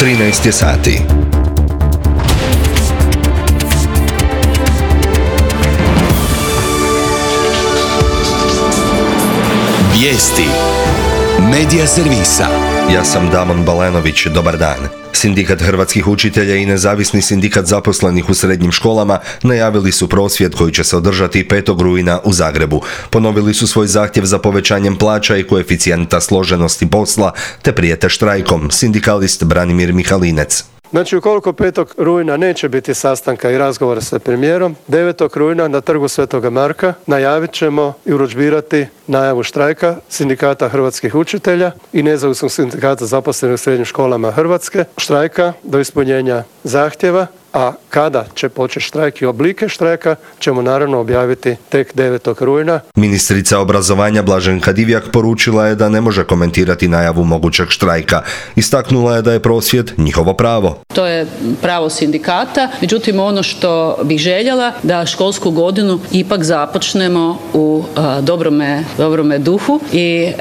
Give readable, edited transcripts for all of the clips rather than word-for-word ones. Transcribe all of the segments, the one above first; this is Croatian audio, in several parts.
13 je sati. Vijesti Medija servisa. Ja sam Damon Balenović, dobar dan. Sindikat hrvatskih učitelja i nezavisni sindikat zaposlenih u srednjim školama najavili su prosvjed koji će se održati 5. rujna u Zagrebu. Ponovili su svoj zahtjev za povećanjem plaća i koeficijenta složenosti posla, te prijete štrajkom, sindikalist Branimir Mihalinec. Znači, ukoliko 5. rujna neće biti sastanka i razgovora sa premijerom, 9. rujna na trgu Svetoga Marka najavit ćemo i urudžbirati najavu štrajka sindikata hrvatskih učitelja i nezavisnog sindikata zaposlenih u srednjim školama Hrvatske, štrajka do ispunjenja zahtjeva, a kada će početi štrajk i oblike štrajka ćemo naravno objaviti tek 9. rujna. Ministrica obrazovanja Blaženka Divjak poručila je da ne može komentirati najavu mogućeg štrajka. Istaknula je da je prosvjed njihovo pravo. To je pravo sindikata, međutim ono što bih željela da školsku godinu ipak započnemo u dobrome duhu i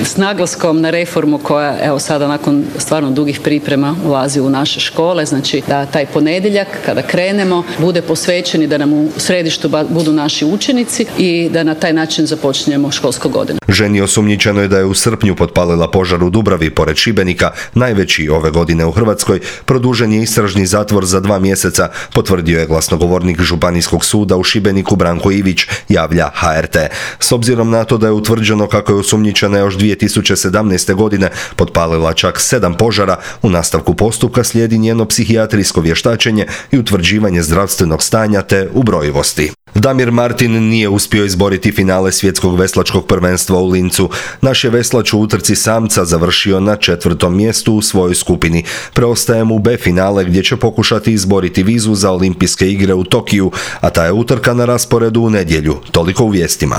s naglaskom na reformu koja evo sada nakon stvarno dugih priprema ulazi u naše škole, znači da taj ponedjeljak kada krenemo bude posvećeni da nam u središtu budu naši učenici i da na taj način započnemo školsku godinu. Ženi osumnjičeno je da je u srpnju potpalila požar u Dubravi pored Šibenika, najveći ove godine u Hrvatskoj. Produžen je istražni zatvor za 2 mjeseca, potvrdio je glasnogovornik Županijskog suda u Šibeniku Branko Ivić, javlja HRT. S obzirom na to da je utvrđeno kako je osumnjičena još 2017. godine potpalila čak 7 požara, u nastavku postupka slijedi njeno psihijatrijsko vještačenje i utvrđivanje zdravstvenog stanja te ubrojivosti. Damir Martin nije uspio izboriti finale svjetskog veslačkog prvenstva u Lincu. Naš je veslač u utrci samca završio na 4. mjestu u svojoj skupini. Preostaje mu B finale gdje će pokušati izboriti vizu za olimpijske igre u Tokiju, a ta je utrka na rasporedu u nedjelju. Toliko u vijestima.